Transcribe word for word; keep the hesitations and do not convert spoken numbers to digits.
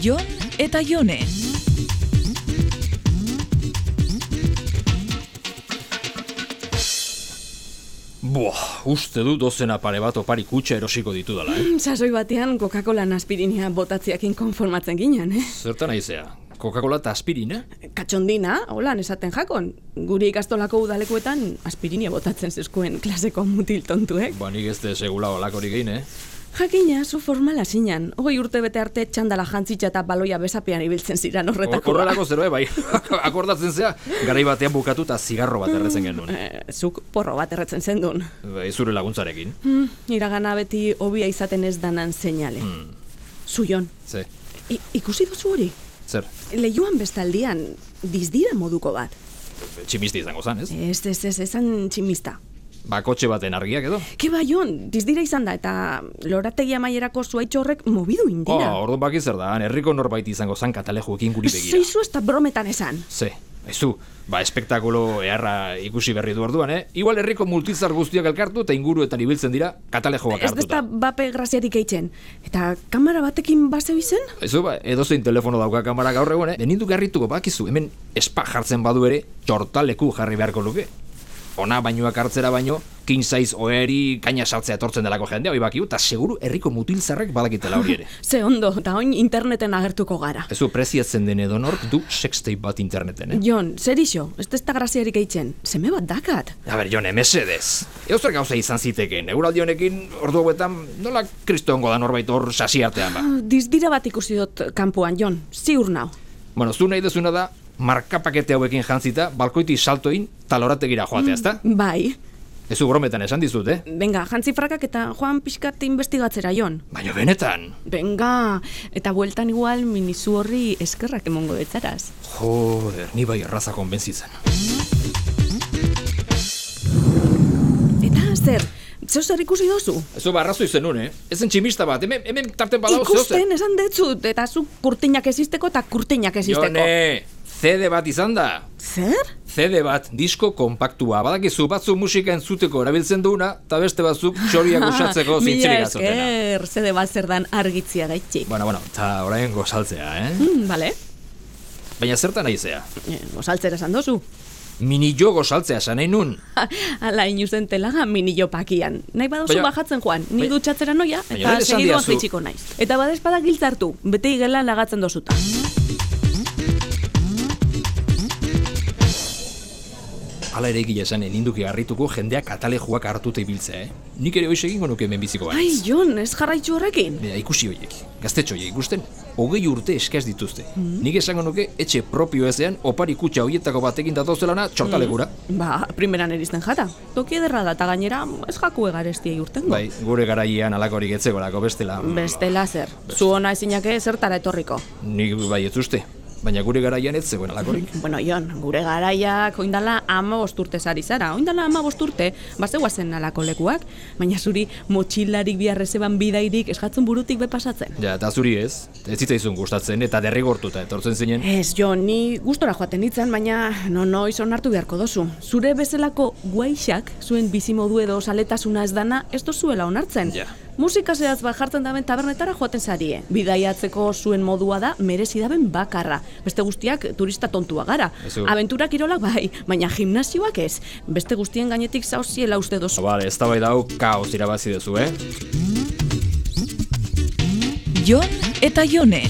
Jon eta Jone. Boa, uste du dozena pare bat opari kutxa erosiko ditudala, eh? Sasoi batean Coca-Cola aspirinia botatziakin konformatzen ginen, eh? Zertan aizea? Coca-Cola eta aspirina? Katxondina, holan esaten jakon. Guri ikastolako udalekuetan aspirinia botatzen zeskuen klaseko mutil tontuek. Ba, nik ez de segula olakorik egin, eh? Jakina, zu formala zinan. Hogei urte bete arte txandala jantzitza eta baloia besapean ibiltzen ziran horretako. Horrelako zeroe, bai. Akordatzen zea, garai batean bukatu eta zigarro bat erretzen genuen. Eh, zuk porro bat erretzen zendun. Bai, zure laguntzarekin. Hmm, iragana beti hobia izaten ez danan seinale. Hmm. Zu, Jon. Ze, I, ikusi duzu hori? zer, Leioan bestaldian, dizdira moduko bat. tximisti izango zan, ez? Ez, ez, ez, ezan tximista. Ba, kotxe baten argiak edo? Ke ba, Jon, dizdira izan da, eta lorategi amaierako zuaitxo horrek mobidu indira. Oh, orduan baki zer da, herriko norbait izango zan katalejuekin guri begira. Zeizu ez da brometan esan. Ze, ezu, ba, espektakulo eharra ikusi berri du orduan, eh? Igual herriko multizar guztiak elkartu eta inguruetan ibiltzen dira katalejoak Ez da hartuta. bape graziarik eitzen. Eta kamera batekin baseu izen? Ezu, ba, edozein telefono dauka kamara gaur egun, eh? Benindu garrituko bakizu, hemen espa jartzen badu ere, txortaleku jarri beharko luke. Ona bainoak hartzera baino, king size oeri kaina sartzea etortzen delako jendea, hoi bakiu, eta seguru herriko mutilzarrek badakitela hori ere. Ze ondo, eta oin interneten agertuko gara. Ezu, preziatzen den edonork du sextape bat interneten, eh? Jon, zer iso, ez da ez da graziarik eitzen, seme bat dakat. A ber, Jon, emesedez. Eozer gauza izan ziteken, euraldi honekin ordu hauetan nola kristongo da norbait hor sasi artean ba. Dizdira bat ikusi dut kanpoan, Jon, ziur nau. Bueno, zu nahi dezuna da, markapakete hauekin jantzita, balkoiti saltoin talorategira joatea, ezta? Bai. Ezu brometan esan dizut, eh? Benga, jantzi frakak eta joan pixkat investigatzera, Jon. Baina benetan. Benga, eta bueltan igual minizu horri eskerrak emongo betzaraz. Joder, ni bai erraza konbentzitzen. Eta zer, zeu zer ikusi dozu? Ezu barrazo izen nun, eh? Ezen tximista bat, hemen, hemen tarten badao zeo zer. Ikusten esan detzut, eta zu kurtinak ezisteko eta kurtinak ezisteko. Jone, C D bat izan da. Zer? C D bat, disko kompaktua. Badakizu batzu musika entzuteko erabiltzen duena, eta beste batzuk txoriak usatzeko zintzirik azotena. Mila esker, zede bat zer dan argitzia gaitxik. Bueno, bueno, eta orain gozaltzea, eh? Mm, bale. Baina zertan aizea? Eh, Gozaltzera esan dozu. Mini jo gozaltzea esan nahi nun. Ala inuzen telaga minillo pakian. Nahi badozu Baina- bajatzen joan, ni Baina- dutxatzera noia, Baina eta lehen esan segiduan didazu. jaitsiko naiz. Eta badespada giltzartu, bete igela lagatzen dozuta. Hala ere egia esan, eninduki harrituko jendeak katalejuak hartuta ibiltzea, eh? Nik ere hoiz egingo nuke hemen biziko Ai, baniz. Jon, ez jarraitzu horrekin. Bera, ikusi horiek, gaztetxo horiek ikusten, hogei urte eskaz dituzte. Nik esango nuke etxe propio ezean opari kutxa horietako batekin datozelana txortalegura. Ba, primeran erizten jata. Toki ederra da, eta gainera ez jaku egarestiei urtengo. Bai, gure garaian alakorik etzegorako bestela. Bestela zer, zu ona ezinake zertara etorriko. Nik bai ez uste, baina gure garaian ez zegoen alakorik. Bueno, Jon, gure garaiak oindala ama bosturte zari zara. Oindala ama bosturte, bazegoazen alako lekuak, baina zuri motxilarik biharrezeban bidairik esgatzen burutik bepasatzen. Ja, eta zuri ez, ez zitzaizun gustatzen eta derrigortuta etortzen zinen. Ez, Jon, ni gustora joaten ditzen, baina no noiz onartu beharko dozu. Zure bezalako guaixak, zuen bizimodu edo saletasuna ez dana, ez dozuela onartzen. Ja. Musika zehaz bat jartzen daben tabernetara joaten zarie. Bidaiatzeko zuen modua da merezi daben bakarra. Beste guztiak turista tontua gara. Ezu. Abentura kirolak bai, baina gimnasioak ez. Beste guztien gainetik zauziela uste dozu. Bale, ez da bai dau, kaos irabazi duzu, eh? Jon eta Jone.